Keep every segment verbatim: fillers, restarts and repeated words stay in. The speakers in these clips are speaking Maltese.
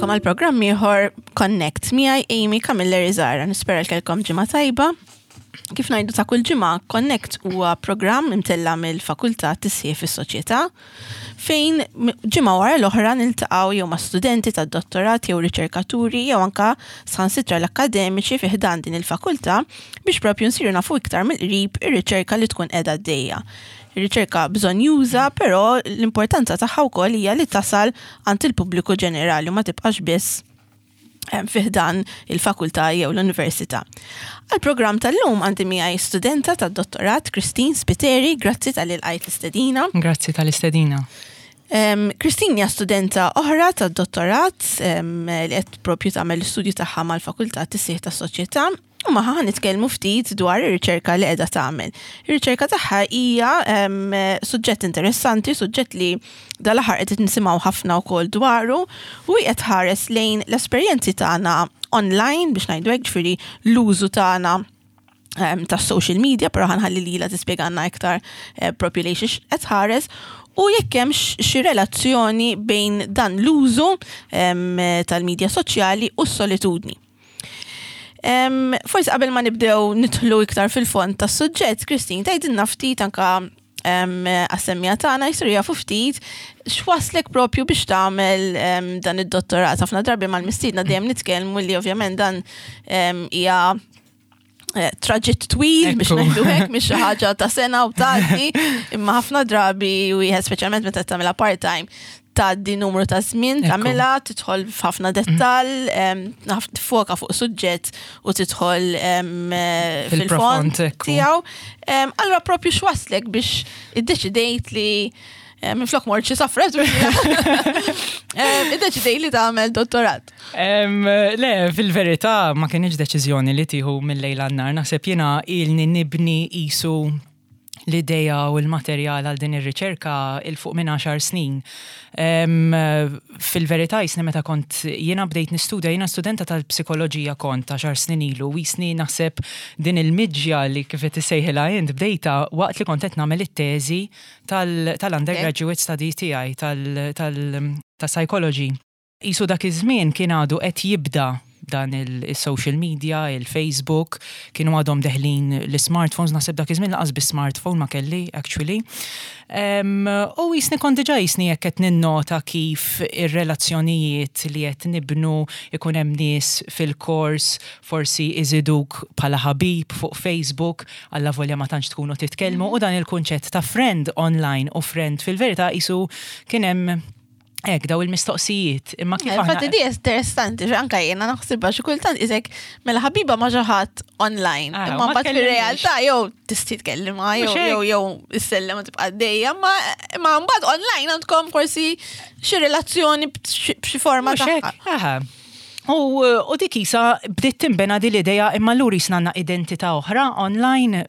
Nilqagħkom għal programm ieħor Connect miegħi Amy Camilleri Zara. Nispera li kellkom ġimgħa tajba. Kif ngħidu ta' kull ġimgħa, Connect huwa programm imtella mill-Fakultà Tisħiħ fis-Soċjetà fejn ġimgħa wara l-oħra niltaqgħu jew ma' studenti tad-dottorat jew riċerkaturi jew anka saħansitra l-akkademiċi fi ħdan din il-fakultà biex propju nsiru nafu iktar mill-qrib ir-riċerka li tkun qiegħda għaddejja. Ir-riċerka bżonnjuża, però l-importanza tagħha wkoll hija li tasal għand il-pubbliku ġenerali u ma tibqax biss fi ħdan il-fakultà jew l-università. Għal-programm tal-lum għandi miegħi studenta tad-dottorat Christine Spiteri, grazzi talli lqajt l-istedina. Grazzi tal-istedina. Um, Christine hija studenta oħra tad-dottorat um, li qed propju tagħmel l-istudju tagħha mal-Fakultà Tisħiħ tas-Soċjetà u magħha ħa nitkellmu ftit dwar ir-riċerka li qiegħda tagħmel. Ir-riċerka tagħha hija um, suġġett interessanti, suġġett li dal-aħħar qed nisimgħu ħafna wkoll dwaru u qed tħares lejn l-esperjenzi tagħna online biex ngħidu hekk, ġifieri l-użu tagħna um, ta' social media, però ħa nħalli lilha tispjegana iktar eh, propju lejn xiex qed tħares u jekk hemm xi relazzjoni bejn dan l-użu um, tal-medja soċjali u s-solitudni. Um, forsi qabel ma nibdew nidħlu iktar fil-fond tas-suġġett, Christine, tgħidilna ftit anka um, għas-semmiegħa tagħna jsiru jafu ftit x'waslek propju biex tagħmel um, dan id-dottorat. Ħafna drabi mal-mistiedna dejjem nitkellmu li ovvjament dan hija um, traġitt twil biex ngħidu hekk, mhix xi ħaġa ta' sena u tgħaddi, imma ħafna drabi wieħed, speċjalment meta tagħmilha part-time, tgħaddi numru ta' żmien tagħmilha, tidħol f'ħafna dettall, tiffoka fuq suġġett u tidħol fil-fond tiegħu. Allura propju x'waslek biex iddeċidejt li minn flok mort xi safra, iddeċidejt li tagħmel dottorat? Le, fil-verità ma kienx deċiżjoni li tieħu mill-lejl għan-nhar. Naħseb jiena ilni nibni qisu l-ideja u l-materjal għal din ir-riċerka 'il fuq minn għaxar snin. Fil-verità jisni meta kont jiena bdejt nistudja, jiena studenta tal-psikoloġija kont għaxar snin ilu, u jisni naħseb din il-miġja li kif qed issejħilha int bdejta waqt li kont qed nagħmel it-teżi tal-undergraduate study tiegħi tal-psychology. Qisu dak iż-żmien kien għadu qed jibda dan il-social media, il-Facebook, kienu għadhom deħlin l-smartphones, naħseb dak iż-żmien lanqas bi-smartphone ma kelli, actually. U jisni kont diġà jisni jekk qed ninnota kif ir-relazzjonijiet li qed nibnu, ikun hemm nies fil-kors, forsi iżiduk bħala ħabib fuq Facebook, alla volja ma tantx tkunu titkellmu, u dan il-kunċett ta' friend online u friend fil-verità qisu kien hemm hekk daw il-mistoqsijiet. Imma kif aħna. Infatti di interessanti, anka jiena naħsibha xi kultant isek mela ħabiba ma' xi ħadd online. Ah, imma mbagħad fir-realtà jew tista' tkellimha jew jew jew issellem u tibqa' għaddejja, imma mbagħad online għandkom forsi xi relazzjoni b'xi forma ta' U, u dik isa bdiet timbena di l-ideja, imma allura jisna għandna identità oħra online,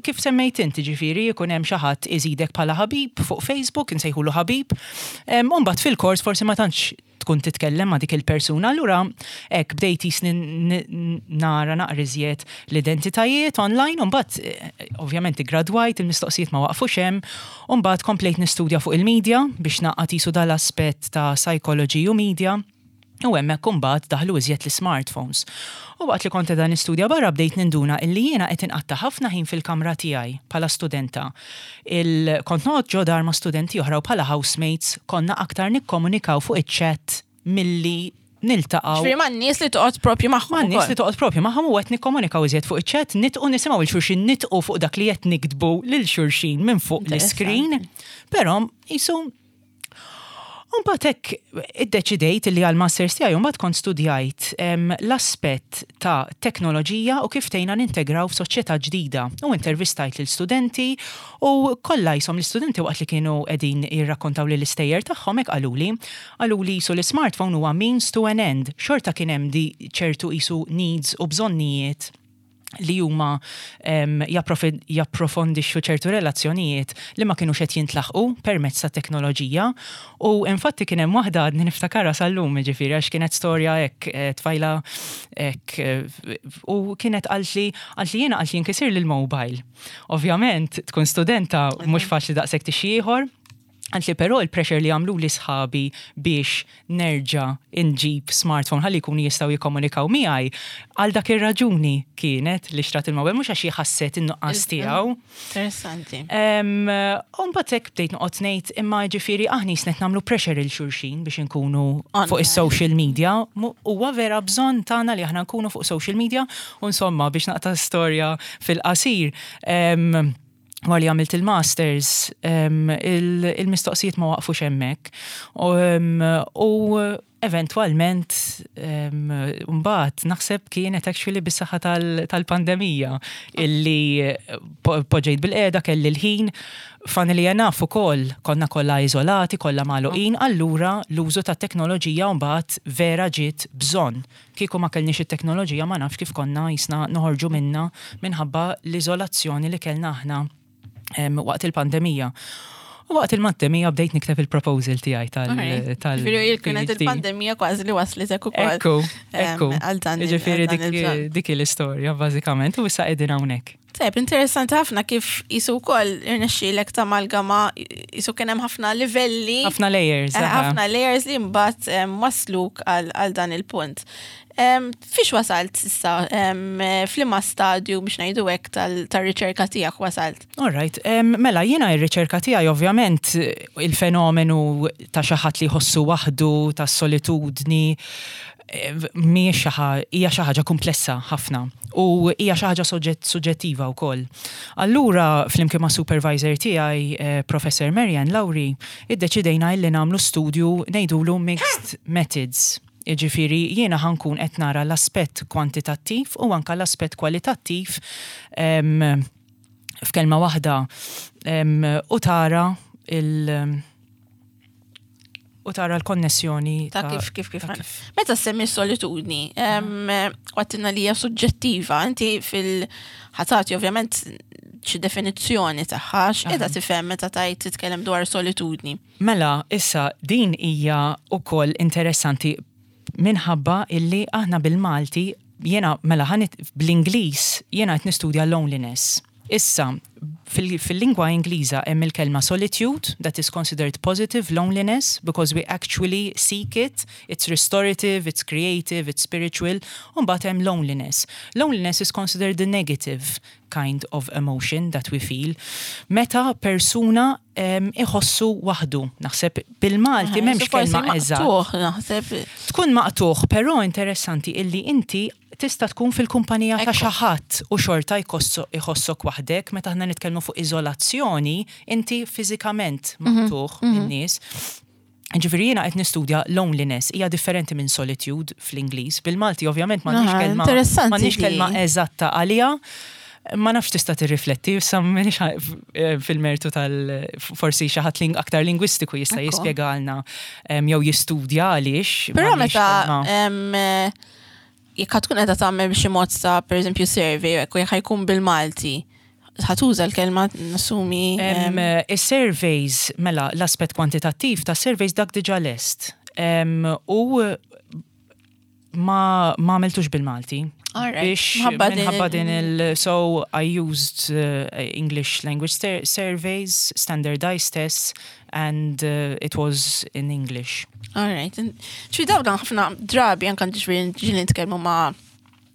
kif semmejt inti, ġifieri, jkun hemm xi ħadd iżidek bħala ħabib fuq Facebook, insejħulu ħabib, u mbagħad fil-kors forsi ma tantx tkun titkellem ma' dik il-persuna, allura hekk bdejt jisni nara naqra iżjed l-identitajiet online, u mbagħad eh, ovvjament gradwajt, il-mistoqsijiet ma waqfux hemm, u mbagħad komplejt nistudja fuq il-media biex naqgħad qisu dal-aspett ta' psychology u media. U hemmhekk imbagħad daħlu iżjed l-smartphones. U waqt li kont qiegħda nistudja barra bdejt ninduna illi jiena qed inqatta' ħafna ħin fil-kamra tiegħi bħala studenta. Il kont noqgħod ġo dar ma' studenti oħra u bħala housemates konna aktar nikkomunikaw fuq iċ-chat milli niltaqgħu. Ġifieri ma' nies li toqgħod propju magħhom. Ma' nies li toqgħod propju magħhom u qed nikkomunikaw iżjed fuq iċ-chat, nitqu nisimgħu lil xulxin nitqu fuq dak li qed niktbu lil xulxin minn fuq l-screen. Però qisu mbagħad hekk iddeċidejt li għal-masters tiegħi mbagħad kont studjajt l-aspett ta' teknoloġija u kif tgħinna nintegraw f'soċjetà ġdida. U intervistajt lil studenti u kollha jisom l-istudenti waqt li kienu qegħdin jirrakkontaw li l-istejjer tagħhom hekk qaluli, qaluli qisu l-smartphone huwa means to an end. Xorta kien hemm di ċertu qisu needs u bżonnijiet li huma japprofondixxu ċertu relazzjonijiet li ma kinux qed jintlaħqu permezz ta' teknoloġija. U infatti kien hemm waħda għadni niftakarha sal-lum, ġifieri, għax kienet storja hekk, eh, tfajla hekk, eh, u kienet qaltli qaltli jiena qaltli jinkisirli l-mobile. Ovvjament tkun studenta mhux faċli daqshekk tixi ieħor. Qaltli però il-pressure li għamlu li sħabi biex nerġa' inġib smartphone ħalli jkunu jistgħu jikkomunikaw miegħi, għal dak ir-raġuni kienet li xtrat il-mobile, mhux għax ħasset in-nuqqas tiegħu. Interessanti. U mbagħad hekk bdejt noqgħod ngħid, imma ġifieri aħna qed nagħmlu pressure lil xulxin biex inkunu fuq is-social media. Huwa vera bżonn tagħna li aħna nkunu fuq social media? U insomma, biex naqta' storja fil-qasir, wara li għamilt il-masters, il-mistoqsijiet ma waqfux hemmhekk. U eventualment, mbagħad naħseb kienet actually bis-saħħa tal-pandemija illi poġġejt bilqiegħda, kelli l-ħin, funnily enough ukoll konna kollha iżolati, kollha magħluqin, allura l-użu ta' teknoloġija mbagħad vera ġiet bżonn. Kieku ma kellniex it-teknoloġija, ma nafx kif konna jisna noħorġu minna minħabba l-iżolazzjoni li kellna aħna waqt il-pandemija. U waqt il-pandemija bdejt nikteb il-proposal tiegħi tal. tal Kienet il-pandemija kważi li waslitek ukoll. Ekku, ekku. Ġifieri dik l-istorja bażikament u issa qegħdin hawnhekk. Tajb, interessanti ħafna kif qisu wkoll irnexxielek tamalgama, qisu kien hemm ħafna livelli. Ħafna layers. Eh, ħafna layers li mbagħad wasluk għal dan il-punt. Fiex wasalt issa, f'liema stadju, biex ngħidu hekk, tal-riċerka tiegħek wasalt? All right, mela jiena ir-riċerka tiegħi, ovvjament il-fenomenu ta' xi ħadd li jħossu waħdu, ta' solitudni, mhijiex hija xi ħaġa komplessa ħafna u hija xi ħaġa suġġettiva wkoll. Allura flimkien ma' supervisor tiegħi, eh, Professor Marianne Lauri, iddeċidejna illi nagħmlu studju ngħidulu mixed methods. Iġifiri, jiena ħa nkun qed nara l-aspett kwantitattiv u anka l-aspett kwalitattiv, f'kelma waħda u tara il- u tara l-konnessjoni. Ta' kif kif kif. Meta semmi solitudni, għedtilna li hija suġġettiva, inti fil-ħatati ovvjament xi definizzjoni tagħha, x'qiegħda tifhem meta tajt titkellem dwar solitudni? Mela, issa din hija wkoll interessanti minħabba illi aħna bil-Malti, jiena mela ħanit bl-Ingliż jiena qed nistudja loneliness. Issa, fil-lingwa Ingliża hemm il-kelma solitude that is considered positive loneliness because we actually seek it, it's restorative, it's creative, it's spiritual, u mbagħad hemm loneliness. Loneliness is considered the negative kind of emotion that we feel. Meta persuna iħossu waħdu, naħseb bil-Malti m'hemmx kelma eżatt. Naħseb. Tkun maqtugħ, però interessanti illi inti tista' tkun fil-kumpanija ta' xi ħadd u xorta jħossok waħdek. Meta aħna nitkellmu fuq iżolazzjoni, inti fiżikament mhm, maqtugħ mhm. min-nies. Ġifieri jiena qed nistudja loneliness, hija differenti minn solitude fl-Ingliż. Bil-Malti ovvjament m'għandix kelma m'għandix kelma eżatta għalija. Ma nafx, tista' tirrifletti, issa m'iniex eh, fil-mertu tal forsi xi ħadd aktar lingwistiku jista' jispjegalna jew jistudja għaliex. Però meta jekk tkun qiegħda tagħmel b'xi mod ta' pereżempju survey, jekk ħa jkun bil-Malti, ħa tuża l-kelma, nassumi. Is-surveys, mela l-aspett kwantitattiv ta' surveys dak diġà lest. U ma ma għamiltux bil-Malti. Biex minħabba din il so I used uh, English language surveys, standardized tests, and uh, it was in English. All right. Ċi dawn ħafna drabi anka ġifieri ġieli nitkellmu ma'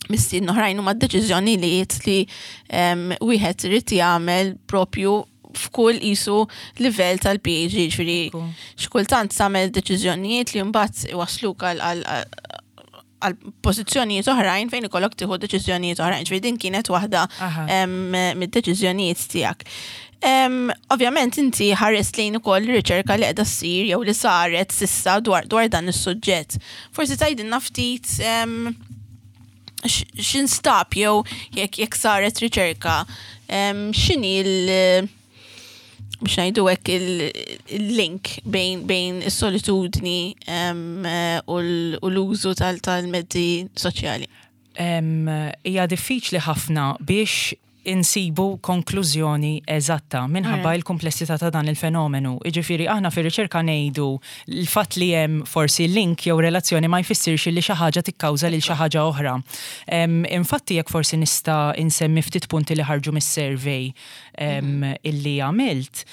mistiedna oħrajn, huma deċiżjonijiet li wieħed irid jagħmel propju f'kull qisu livell tal-P H D, ġifieri xkultant tagħmel deċiżjonijiet li mbagħad iwasluk għal għal pożizzjonijiet oħrajn fejn ikollok tieħu deċiżjonijiet oħrajn. Ġifieri din kienet waħda mid-deċiżjonijiet tiegħek. Ovvjament inti ħarist lejn ukoll riċerka li qiegħda ssir jew li saret s'issa dwar dwar dan is-suġġett. Forsi tgħidilna ftit x'instab jew jekk jekk saret riċerka, x'inhi l biex ngħidu hekk il-link bejn bejn is-solitudni u l-użu tal-mezzi soċjali? Hija diffiċli ħafna biex insibu konklużjoni eżatta minħabba il-komplessità ta' dan il-fenomenu. Iġifieri aħna fir-riċerka ngħidu l-fatt li hemm forsi link jew relazzjoni ma jfissirx li xi ħaġa tikkawża lil xi ħaġa oħra. Infatti, jekk forsi nista' insemmi ftit punti li ħarġu mis-survey illi għamilt,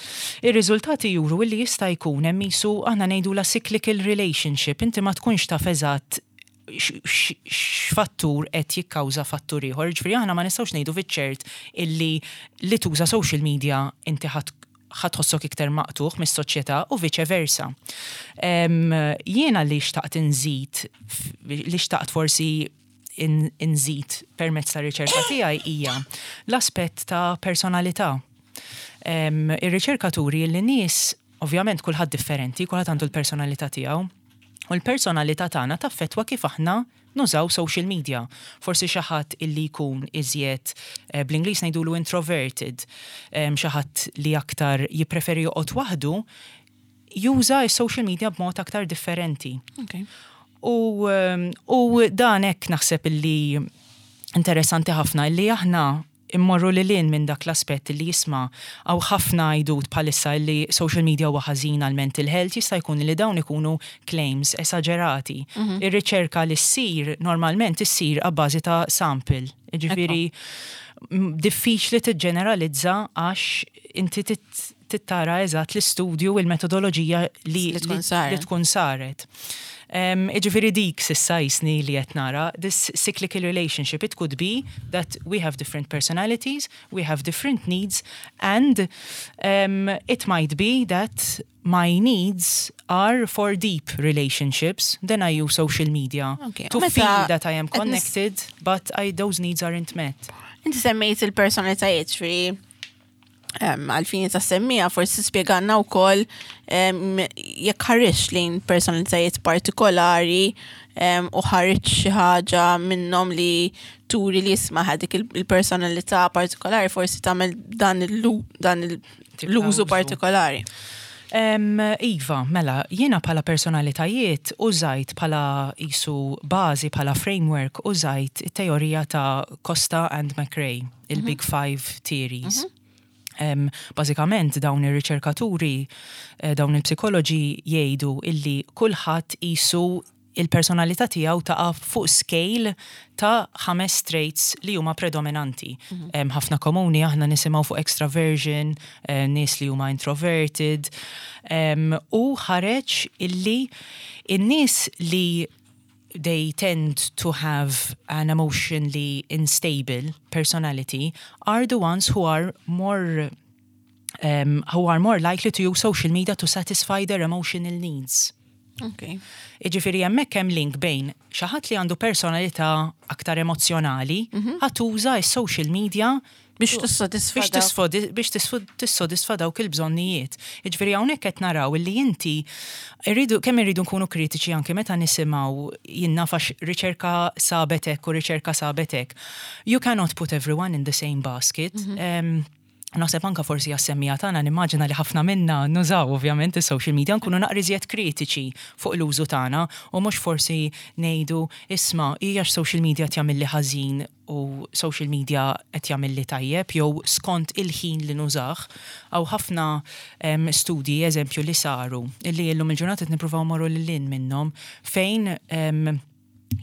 ir-riżultati juru illi jista' jkun hemm qisu aħna ngħidu la cyclical relationship, inti ma tkunx taf eżatt x'fattur qed jikkawża fattur ieħor. Ġifieri aħna ma nistgħux ngħidu fiċ-ċert illi li tuża social media inti ħa tħossok iktar maqtugħ mis-soċjetà u vice versa. Jiena li xtaqt inżid, li xtaqt forsi inżid permezz ta' riċerka tiegħi hija l-aspett ta' personalità. Ir-riċerkaturi li nies, ovvjament kulħadd differenti, kulħadd għandu l-personalità tiegħu. U l-personalità tagħna taffettwa kif aħna nużaw social media. Forsi xi ħadd illi jkun iżjed, eh, bl-Ingliż ngħidulu introverted, xi ħadd li aktar jippreferi joqgħod waħdu, juża s-social media b'mod aktar differenti. Okay. U, u dan hekk naħseb illi interessanti ħafna illi aħna immorru lil hinn minn dak l-aspett li jisma' hawn ħafna għajdut bħalissa li social media huwa ħażin għal mental health, jista' jkun li dawn ikunu claims esagerati. Mhm. Ir-riċerka li ssir normalment issir abbażi ta' sample. Ġifieri diffiċli tiġġeneralizza għax inti tittara eżatt l-istudju u l-metodoloġija li tkun saret. Iġifiri dik s'issa jiġifieri li qed nara, this cyclical relationship, it could be that we have different personalities, we have different needs, and um, it might be that my needs are for deep relationships, then I use social media okay. to feel that I am connected, but I, those needs aren't met. Inti semmejt il-personalitajiet, ġifieri għalfini ta' semmija, forsi spjegalna wkoll jekk ħareġ lejn personalitajiet partikolari u ħareġ xi ħaġa minnhom li turi li jisma' dik il-personalità partikolari forsi tagħmel dan l-użu partikolari. Iva, mela, jiena bħala personalitajiet użajt bħala qisu bażi, bħala framework, użajt it-teorija ta' Costa and McRae, il-Big mhm. Five Theories. Mm -hmm. Um, Bażikament dawn ir-riċerkaturi, eh, dawn il-psikoloġi jgħidu illi kulħadd qisu il-personalità tiegħu taqa' fuq scale ta' ħames traits li huma predominanti. Mm -hmm. Ħafna komuni aħna nisimgħu fuq extraversion, eh, nies li huma introverted, um, u ħareġ illi in-nies li they tend to have an emotionally unstable personality are the ones who are more um, who are more likely to use social media to satisfy their emotional needs. Okay. Iġifiri hemmhekk hemm link bejn xi ħadd li għandu personalità aktar emozjonali, mm -hmm. ħa tuża s-social media biex tissodisfa biex tissodisfa dawk il-bżonnijiet. Jiġifieri hawnhekk qed naraw li inti irridu kemm irridu nkunu kritiċi anke meta nisimgħu jien naf għax riċerka sabet hekk u riċerka sabet hekk. You cannot put everyone in the same basket. Mm -hmm. um, Naħseb anka forsi għas-semmiegħa tagħna, nimmaġina li ħafna minna nużaw ovvjament is-social media, nkunu naqra iżjed kritiċi fuq l-użu tagħna u mhux forsi ngħidu, "Isma' hija social media jagħmilli ħażin u social media qed jagħmilli tajjeb," jew skont il-ħin li nużah. Hawn ħafna um, studji, eżempju, li saru illi llum il-ġurnata qed nippruvaw morru lil hinn minnhom fejn um,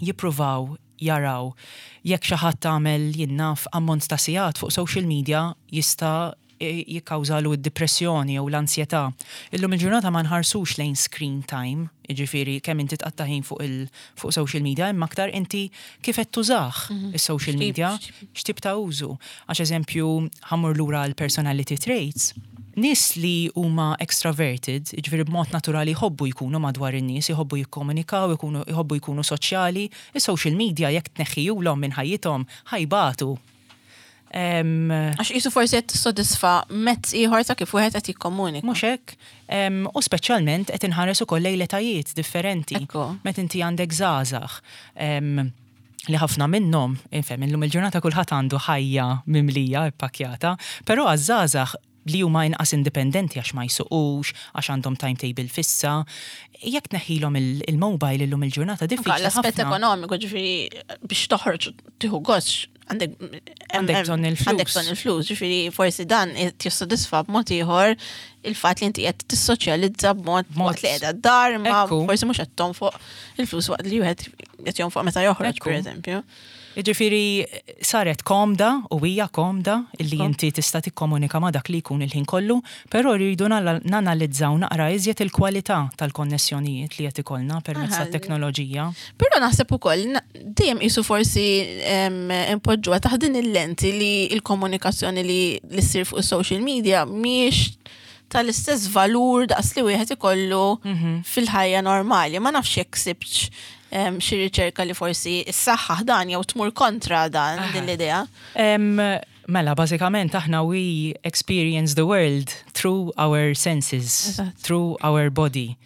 jippruvaw jaraw jekk xi ħadd tagħmel, jien naf, ammont ta' sigħat fuq social media jista' jikkawżalu d-depressjoni jew l-ansjetà. Illum il-ġurnata ma nħarsux lejn screen time, jiġifieri kemm inti tqatta' ħin fuq il fuq social media, imma aktar inti kif qed tużah mhm. is-social media, x'tip ta' użu. Għax eżempju, ħa mmur lura l-personality traits, nies li huma extraverted, ġifieri b'mod naturali jħobbu jkunu madwar in-nies, jħobbu jikkomunikaw, jħobbu jkunu soċjali, is-social media jekk tneħħihulhom minn ħajjithom ħa jbatu. Għax qisu forsi qed tissodisfa mezz ieħor ta' kif wieħed qed jikkomunika. Mhux hekk, u speċjalment qed inħares ukoll lejn etajiet differenti. Meta inti għandek żgħażagħ li ħafna minnhom, infhem, illum il-ġurnata kulħadd għandu ħajja mimlija ippakjata, però għaż-żgħażagħ li huma inqas indipendenti għax ma jsuqux, għax għandhom timetable fissa. Jekk tneħħilhom il-mobile illum il-ġurnata, diffiċli. L-aspett ekonomiku, ġifieri biex toħroġ tieħu gost għandek għandek bżonn il-flus. Għandek bżonn il-flus, ġifieri forsi dan jissodisfa b'mod ieħor il-fatt li inti qed tissoċjalizza b'mod waqt li qiegħda d-dar, ma forsi mhux qed tonfoq il-flus waqt li wieħed qed jonfoq meta joħroġ, pereżempju. Ġifieri saret komda u hija komda illi inti tista' tikkomunika ma' dak li jkun il-ħin kollu, però rridu nanalizzaw naqra iżjed il-kwalità tal-konnessjonijiet li qed ikollna permezz tat-teknoloġija. Però naħseb ukoll dejjem qisu forsi impoġġuha taħt din il-lenti li l-komunikazzjoni li li ssir fuq is-social media mhijiex tal-istess valur daqs li wieħed ikollu mhm. fil-ħajja normali. Ma nafx jekk sibtx xi riċerka li forsi s-saħħa dan jew tmur kontra dan din l-idea. Mela, bażikament aħna we experience the world through our senses, through our body.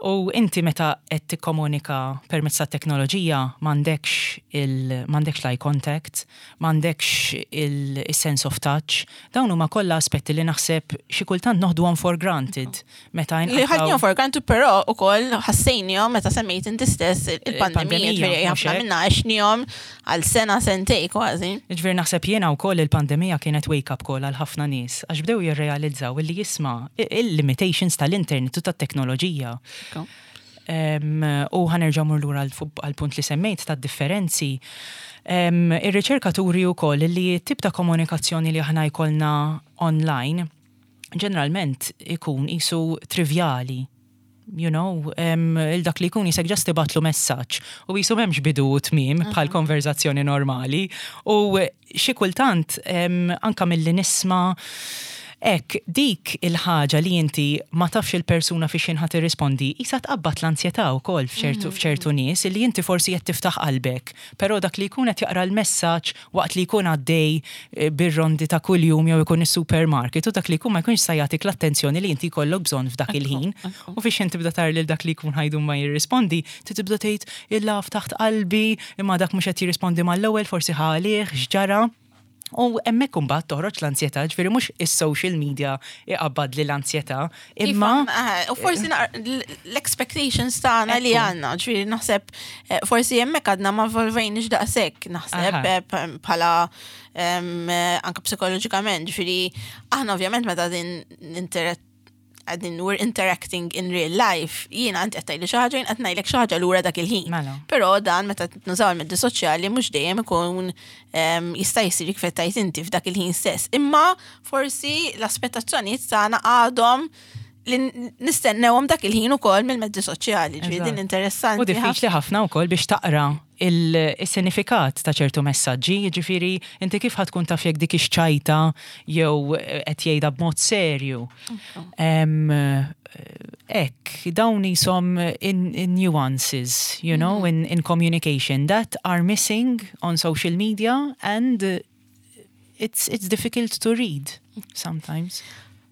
U inti meta qed tikkomunika permezz ta' teknoloġija m'għandekx il m'għandekx l-eye contact, m'għandekx il-sense of touch. Dawn huma kollha aspetti li naħseb xi kultant noħduhom for granted. Meta Li ħadnihom for granted, però ukoll ħassejnihom meta semmejt inti stess il-pandemija, ġifieri ħafna minna għexnihom għal sena, sentej kważi. Ġifieri naħseb jiena wkoll il-pandemija kienet wake up call għal ħafna nies għax bdew jirrealizzaw illi jisma' il-limitations tal-internet u tat-teknoloġija. U ħa nerġa' mmur lura għal-punt li semmejt ta' differenzi. Ir-riċerka turi wkoll li tip ta' komunikazzjoni li aħna jkollna online ġeneralment ikun qisu trivjali. You know, il-dak li jkun qisek just tibgħatlu messaġġ u qisu m'hemmx bidu u tmiem bħal konverzazzjoni normali u xi kultant anka milli nisma' Ek, dik il-ħaġa li inti ma tafx il-persuna fi x'ħin ħa tirrispondi, qisha tqabbad l-ansjetà wkoll f'ċertu f'ċertu nies li inti forsi qed tiftaħ qalbek, però dak li jkun qed jaqra l-messaġġ waqt li jkun għaddej eh, bir-rondi ta' kuljum jew ikun is-supermarket u dak li jkun ma jkunx sa jagħtik l-attenzjoni li inti jkollok bżonn f'dak il-ħin. U fiex inti tibda tara lil dak li jkun ħa jdum ma jirrispondi, ti tibda tgħid illa ftaħt qalbi, imma dak mhux qed jirrispondi mal-ewwel, forsi ħalih, x'ġara. U hemmhekk imbagħad toħroġ l-ansjetà, ġifieri mhux is-social media iqabbad li l-ansjetà, imma U forsi l-expectations tagħna li għandna, ġifieri naħseb eh, forsi hemmhekk għadna ma evolvejniex daqshekk, naħseb eh, bħala eh, anke psikoloġikament, ġifieri aħna ovvjament meta din interet għadin we're interacting in real life, jiena għandi qed tgħidli xi ħaġa, jien qed ngħidlek xi ħaġa lura dak il-ħin. Mela. Però dan meta nużaw il-mezzi soċjali mhux dejjem ikun jista' jsir kif qed inti f'dak il-ħin stess. Imma forsi l-aspettazzjonijiet tagħna għadhom li nistennewhom dak il-ħin ukoll mill-mezzi soċjali, ġifieri din interessanti. U diffiċli ħafna wkoll biex taqra il-sinifikat ta' ċertu messaġġi, ġifieri inti kif ħa tkun taf jekk dik ix-ċajta jew qed jgħidha b'mod serju. Ek, dawn jisom in, in nuances, you know, in, in communication that are missing on social media and it's, it's difficult to read sometimes.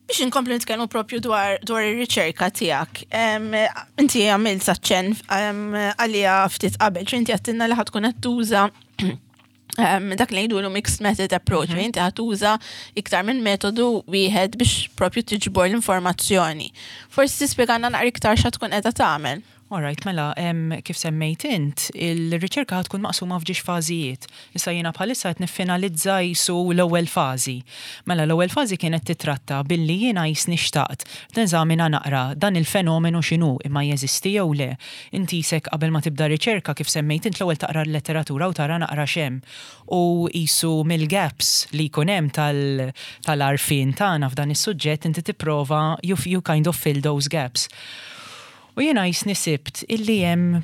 Biex inkomplu nitkellmu propju dwar dwar ir-riċerka tiegħek. Inti għamilt saċċen għalija ftit qabel, inti għedtilna li ħa tkun qed tuża dak li jgħidulu mixed method approach, mm inti ħa tuża iktar minn metodu wieħed biex propju tiġbor l-informazzjoni. Forsi tispjegana naqra iktar x'ħa tkun qiegħda tagħmel. Alright, mela, em, kif semmejt int, il-riċerka tkun maqsuma f'żewġ fażijiet. Issa jiena bħalissa qed niffinalizza qisu l-ewwel fażi. Mela, l-ewwel fażi kienet titratta billi jiena qisni xtaqt neżamina naqra dan il-fenomenu x'inhu, imma jeżisti jew le. Inti qisek qabel ma tibda riċerka, kif semmejt int, l-ewwel taqra l-letteratura u tara naqra x'hemm. U qisu mill-gaps li jkun hemm tal-għarfien tagħna f'dan is-suġġett inti tipprova you, you kind of fill those gaps. U jiena qisni sibt illi hemm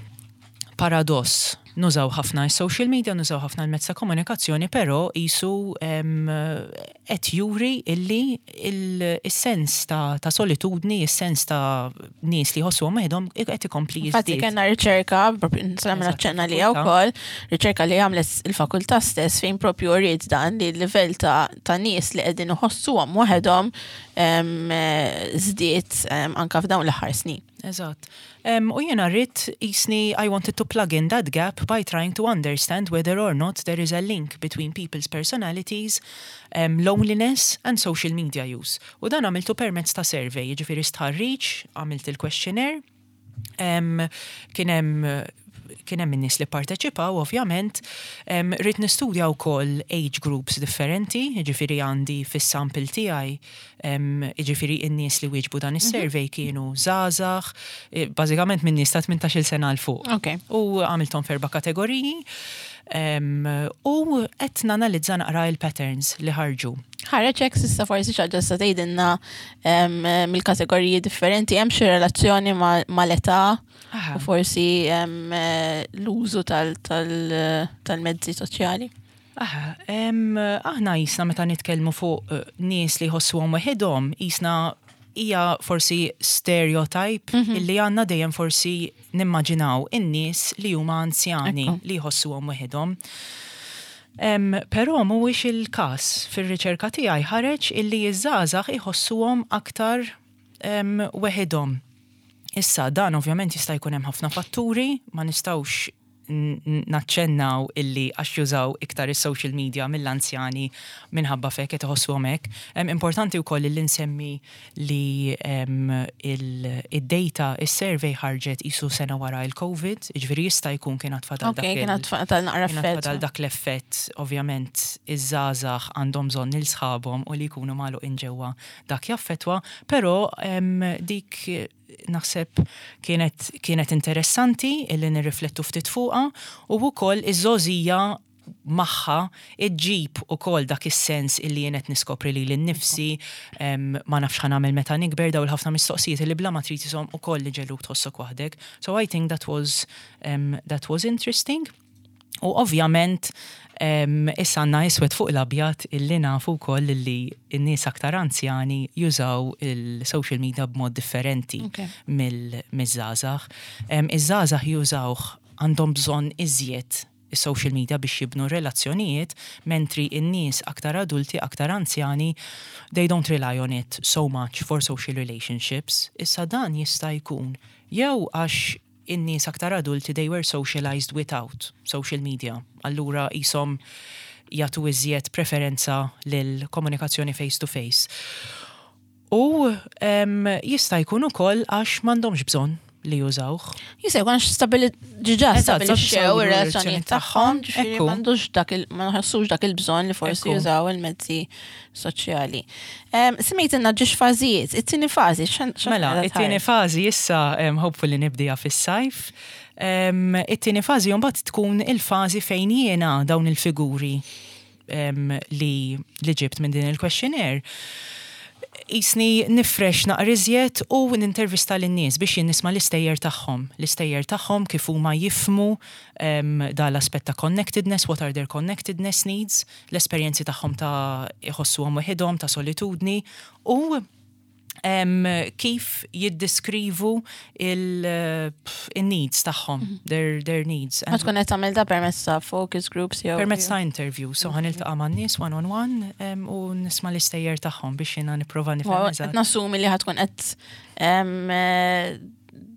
paradoss. Nużaw ħafna social media, nużaw ħafna l-mezz ta' komunikazzjoni, però qisu qed juri illi il-sens ta', ta solitudni, il-sens ta' nies li jħossu waħedhom qed ikompli Infatti jiżdied. Kellna riċerka, propju nagħmel aċċenna li wkoll, riċerka li għamlet il-fakultà stess fejn propju uriet dan li l-livell ta', ta' nies li qegħdin iħossuhom waħedhom żdied anka f'dawn l-aħħar snin. Eżatt. Um, u jena rrid qisni I wanted to plug in that gap up by trying to understand whether or not there is a link between people's personalities, um, loneliness and social media use. U dan għamiltu permezz ta' survey, jiġifieri stħarriġ, għamilt il-questionnaire, um, kien hemm kien hemm in-nies li parteċipaw, ovvjament, um, ridt nistudja wkoll age groups differenti, jiġifieri għandi fis-sample tiegħi, um, jiġifieri in-nies li wieġbu dan is-survey kienu żgħażagħ, eh, bażikament minn nies ta' tmintax-il sena 'l fuq. Ok. U għamilthom f'erba' kategoriji um, u qed nanalizza naqra il-patterns li ħarġu. Ħareġ hekk s'issa forsi xi ħaġa sa tgħidilna em, mill-kategoriji differenti, hemm xi relazzjoni ma- mal-età Aha. u forsi em, eh, l-użu tal- tal- tal-mezzi soċjali. Aha, em, aħna jisna meta nitkellmu fuq eh, nies li jħossuhom waħedhom, jisna hija forsi stereotype illi għandna dejjem forsi nimmaġinaw in-nies li huma anzjani Ekku. li jħossuhom waħedhom. Em, Però mhuwiex il-każ. Fir-riċerka tiegħi ħareġ illi iż-żgħażagħ iħossuhom aktar em, weħidhom. Issa dan ovvjament jista' jkun hemm ħafna fatturi, ma nistgħux n- n- naċċennaw illi għax jużaw iktar is-social media mill-anzjani minħabba fek qed iħossuhom hekk. Em, Importanti wkoll illi nsemmi li em, il- id-data, is-survey ħarġet isu sena wara il-Covid, jiġifieri jista' jkun kien għad fadal Ok, dak il- kien għad fadal naqra kien għad effett. fadal dak l-effett, ovvjament, iż-żgħażagħ għandhom bżonn lil sħabhom u li jkunu magħluqin ġewwa dak jaffetwa, però em, dik eh, naħseb kienet, kienet interessanti illi nirriflettu ftit fuqha u wkoll iż-żgħożija magħha iġġib ukoll dak is-sens illi jien qed niskopri lili nnifsi, em, ma nafx ħa nagħmel meta nikber, daw il-ħafna mistoqsijiet illi bla ma trid isom ukoll li jġegħluk tħossok waħdek. So I think that was um, that was interesting. U ovvjament um, issa għandna iswed fuq l-abjad illi nafu wkoll illi n-nies aktar anzjani jużaw il-social media b'mod differenti Ok. mill-żgħażagħ. Um, Iż-żgħażagħ jużawh, għandhom bżonn iżjed is-social media biex jibnu relazzjonijiet, mentri in-nies aktar adulti, aktar anzjani, they don't rely on it so much for social relationships. Issa dan jista' jkun jew għax in-nies aktar adulti, they were socialized without social media. Allura jisom jagħtu iżjed preferenza lil komunikazzjoni face to face. U um, jista' jkun ukoll għax m'għandhomx bżonn li jużawh. Jista' jkun għax stabili ġiġa Eżatt, stabilixxew stabili ir-relazzjonijiet tagħhom, ġifieri Ekku. m'għandux dak il ma nħossux dak il-bżonn li forsi Ekku. jużaw il-mezzi soċjali. Em, Semmejtilna żewġ fażijiet, it-tieni fażi, x'an- x'an Mela, qiegħda it-tieni tħares? fażi issa um, hopefully nibdija fis-sajf. Um, it-tieni fażi mbagħad tkun il-fażi fejn jiena dawn il-figuri um, li, li ġibt minn din il-questionnaire. Jisni nifrex naqra iżjed u nintervista lin-nies biex jien nisma' l-istejjer tagħhom. L-istejjer tagħhom kif huma jifhmu um, da l-aspett ta' connectedness, what are their connectedness needs, l-esperjenzi tagħhom ta' iħossuhom waħedhom, ta' solitudni u um, kif jiddiskrivu il-needs tagħhom, their, their needs. Ma tkun qed tagħmel da permezz ta' focus groups jew Permezz ta' interview, so ħa niltaqa' man-nies one on one um, u nisma' l-istejjer tagħhom biex jiena nipprova nifhem Qed eżatt. nassumi li ħa tkun qed em, eh,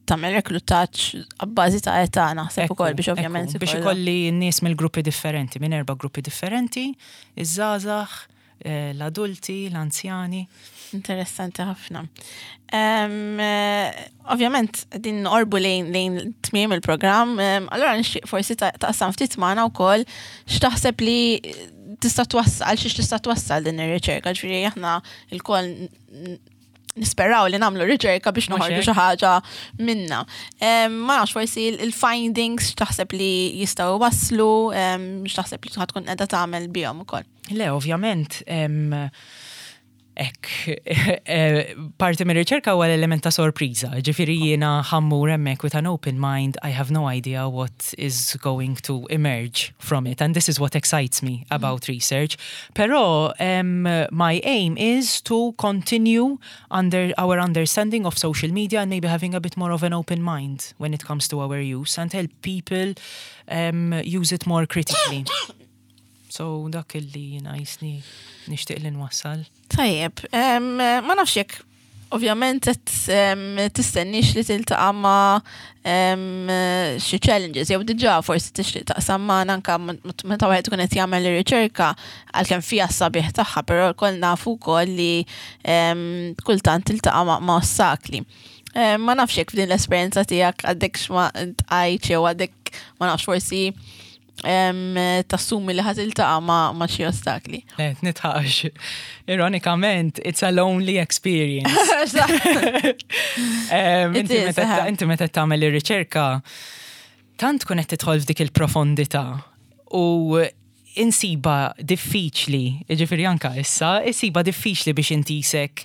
tagħmel reklutaġġ abbażi ta' età naħseb Ekku, ukoll biex ovvjament ekku, biex ikollok- ikolli n-nies mill-gruppi differenti, minn erba' gruppi differenti, iż-żgħażagħ, eh, l-adulti, l-anzjani. Interessanti ħafna. Um, eh, ovvjament, din orbu lejn lejn tmiem il-programm, um, allora nixtieq forsi ta- taqsam ftit magħna wkoll x'taħseb li tista' twassal, xiex tista' twassal din ir-riċerka, ġifieri aħna lkoll n- nisperaw li nagħmlu riċerka biex Mhux noħorġu hekk? xi ħaġa minna. Um, ma nafx, forsi il-findings x'taħseb li jistgħu waslu, um, x'taħseb li tkun qiegħda tagħmel bihom ukoll. Le, ovvjament, em, ek, eh, parti mir riċerka huwa l-element ta' sorpriża. Ġifieri jiena ħa mmur hemmhekk with an open mind, I have no idea what is going to emerge from it. And this is what excites me about research. Però um, my aim is to continue under our understanding of social media and maybe having a bit more of an open mind when it comes to our use and help people um, use it more critically. So dak illi jiena jisni nixtieq li nwassal. Tajjeb, em, ma nafx jekk Ovvjament qed em, tistennix li tiltaqa' ma' em, xi challenges, jew diġà forsi tixtieq taqsam magħna anke meta wieħed ikun qed jagħmel ir-riċerka, għalkemm fiha s-sabiħ tagħha, però lkoll nafu wkoll li em, kultant tiltaqa' ma' ma' ostakli. Em, Ma nafx jekk f'din l-esperjenza tiegħek għadek x'ma tqajtx jew għadek, ma nafx, forsi em, tassumi li ħa tiltaqa' ma' ma' xi ostakli. Le, nidħaq. Ironikament, it's a lonely experience. Em, It Inti is, meta aha. inti meta tagħmel ir-riċerka, tant tkun qed tidħol f'dik il-profondità u insiba diffiċli, jiġifieri anka issa, insiba diffiċli biex inti sek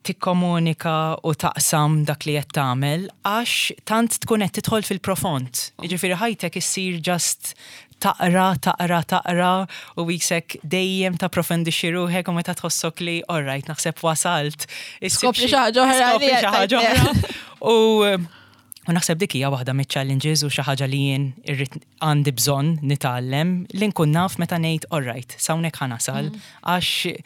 tikkomunika u taqsam dak li qed tagħmel għax tant tkun qed tidħol fil-profond. Jiġifieri ħajtek issir just taqra, taqra, taqra u qisek dejjem tapprofondixxi ruħek u meta tħossok li alright, naħseb wasalt. Issib Skopri xi ħaġa oħra li Skopri xi ħaġa qed oħra. U U naħseb dik hija waħda miċ-challenges u xi ħaġa li jien irrid, għandi bżonn nitgħallem li nkun naf meta ngħid alright, s'hawnhekk ħa nasal, għax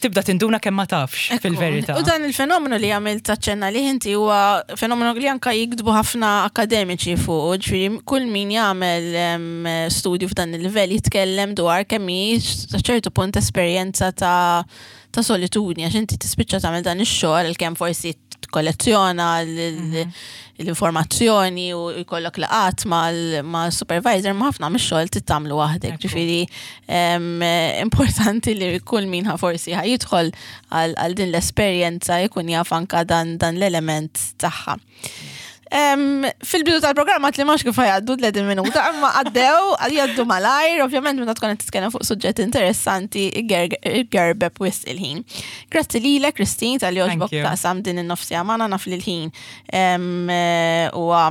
tibda tinduna kemm ma tafx fil-verità. U dan il-fenomenu li għamil taċċenna li inti huwa fenomenu li anka jiktbu ħafna akademiċi fuq, ġifieri kull min jagħmel em, studju f'dan il-livell jitkellem dwar kemm hi sa ċertu punt esperjenza ta' ta' solitudni, għax inti tispiċċa tagħmel dan ix-xogħol, kemm forsi tkollezzjona l- l-informazzjoni u jkollok laqat mal-supervisor, ma ħafna mix-xogħol tagħmlu waħdek. Ekku. Ġifieri em, importanti li kull min ħa forsi ħa jidħol għal għal din l-esperjenza jkun jaf anka dan, dan l-element tagħha. Em, Fil-bidu tal-programma li max kif jgħaddu tletin minuta, imma għaddew, jgħaddu malajr, ovvjament meta tkun qed titkellem fuq suġġett interessanti, igerbeb wisq il-ħin. Grazzi lilek, Christine, talli għoġbok Thank you. taqsam din in-nofs siegħa magħna. Naf li l-ħin em, eh, huwa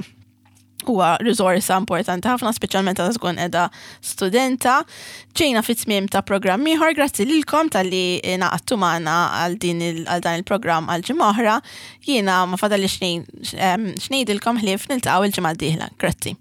huwa risorsa importanti ħafna, speċjalment meta tkun qiegħda studenta. Ġejna fit-tmiem ta' programm ieħor, grazzi lilkom talli ngħaqadtu magħna għal din il- għal dan il-programm għal ġimgħa oħra. Jiena ma fadalli x'ngħidilkom ħlief niltaqgħu il-ġimgħa d-dieħla. Grazzi.